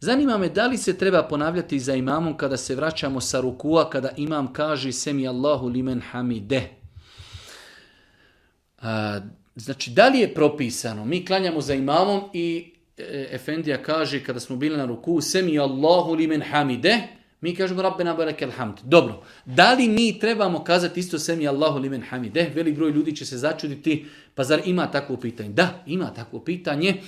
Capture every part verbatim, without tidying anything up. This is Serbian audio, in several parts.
Zanima me da li se treba ponavljati za imamom kada se vraćamo sa rukua, kada imam kaže semi Allahu limen hamide. A, znači, da li je propisano? Mi klanjamo za imamom i e, Efendija kaže kada smo bili na ruku semi Allahu limen hamide, mi kažemo Rabbena barakel hamd. Dobro, da li mi trebamo kazati isto semi Allahu limen hamide? Velik broj ljudi će se začuditi, pa zar ima takvo pitanje? Da, ima takvo pitanje.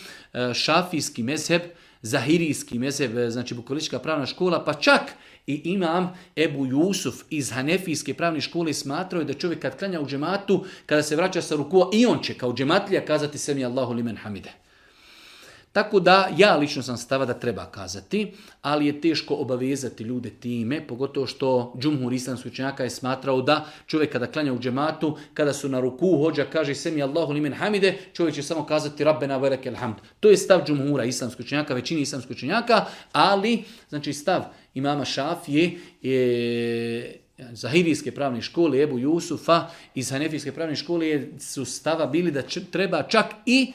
Šafijski mezheb, zahirijski mezheb, znači bukvalistička pravna škola, pa čak i imam Ebu Jusuf iz Hanefijske pravne škole smatrao da čovjek kad klanja u džematu, kada se vraća sa rukua, i on će kao džematlija kazati semi Allahu limen hamide. Tako da ja lično sam stava da treba kazati, ali je teško obavezati ljude time, pogotovo što džumhur islamskih učenjaka je smatrao da čovjek kada klanja u džematu, kada su na ruku, hođa kaže semi Allahu limen hamide, čovjek će samo kazati Rabbena velekel hamd. To je stav džumhura islamskih učenjaka, većini islamskih učenjaka, ali znači stav imama Šafije je zahirijske pravne škole, Ebu Jusufa iz Hanefijske pravne škole su stava bili da č- treba čak i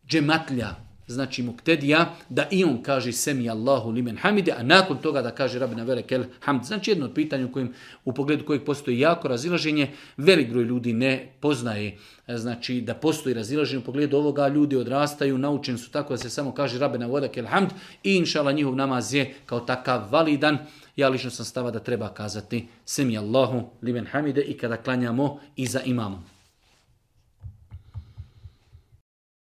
džematlja, znači muktedija, da i on kaže semi Allahu limen hamide, a nakon toga da kaže Rabbena velekel hamd. Znači jedno od pitanja u, kojim, u pogledu kojeg postoji jako razilaženje, velik broj ljudi ne poznaje, znači da postoji razilaženje u pogledu ovoga, ljudi odrastaju, naučeni su tako da se samo kaže Rabbena velekel hamd i inšala njihov namaz je kao takav validan. Ja lično sam stava da treba kazati semi Allahu limen hamide i kada klanjamo iza imamom.